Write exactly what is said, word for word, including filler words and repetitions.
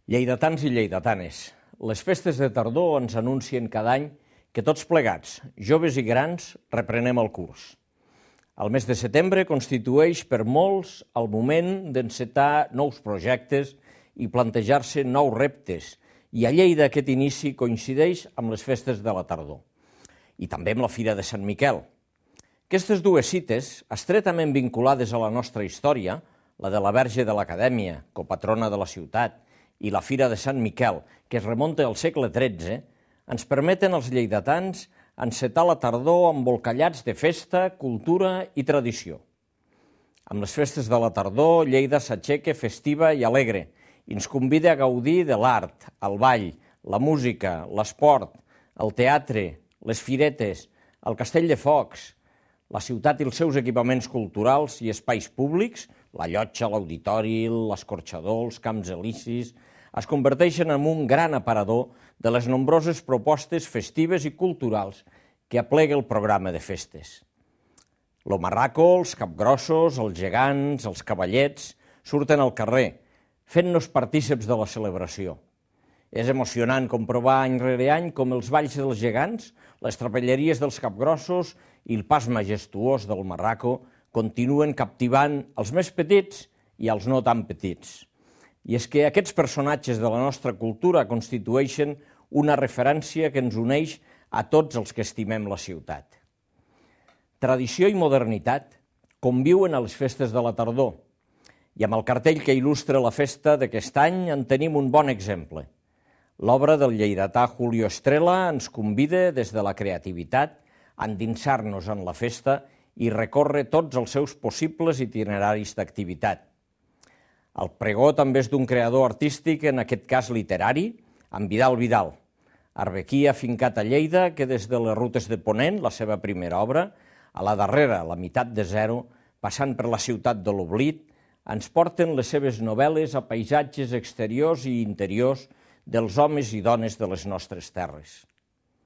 Lleidatans i lleidatanes, les festes de tardor ens anuncien cada any que tots plegats, joves i grans, reprenem el curs. El mes de setembre constitueix per molts el moment d'encetar nous projectes i plantejar-se nous reptes, i a Lleida aquest inici coincideix amb les festes de la tardor i també amb la Fira de Sant Miquel. Aquestes dues cites, estretament vinculades a la nostra història, la de la Verge de l'Acadèmia, copatrona de la ciutat, i la Fira de Sant Miquel, que es remunta al segle tretze, ens permeten als lleidatans encetar la tardor embolcallats de festa, cultura i tradició. Amb les festes de la tardor, Lleida s'aixeca festiva i alegre i ens convida a gaudir de l'art, el ball, la música, l'esport, el teatre, les firetes, el castell de focs, la ciutat i els seus equipaments culturals i espais públics, la llotja, l'auditori, l'escorxador, els camps elisis, es converteixen en un gran aparador de les nombroses propostes festives i culturals que aplega el programa de festes. Lo marraco, els capgrossos, els gegants, els cavallets, surten al carrer, fent-nos partíceps de la celebració. És emocionant comprovar any rere any com els balls dels gegants, les trapelleries dels capgrossos i el pas majestuós del marraco continuen captivant els més petits i els no tan petits. I és que aquests personatges de la nostra cultura constitueixen una referència que ens uneix a tots els que estimem la ciutat. Tradició i modernitat conviuen a les festes de la tardor, i amb el cartell que il·lustra la festa d'aquest any en tenim un bon exemple. L'obra del lleidatà Julio Estrela ens convida des de la creativitat a endinsar-nos en la festa i recórrer tots els seus possibles itineraris d'activitat. El pregó també és d'un creador artístic, en aquest cas literari, en Vidal Vidal, arbequí afincat a Lleida, que des de les rutes de Ponent, la seva primera obra, a la darrera, la meitat de zero, passant per la ciutat de l'oblit, ens porten les seves novel·les a paisatges exteriors i interiors dels homes i dones de les nostres terres.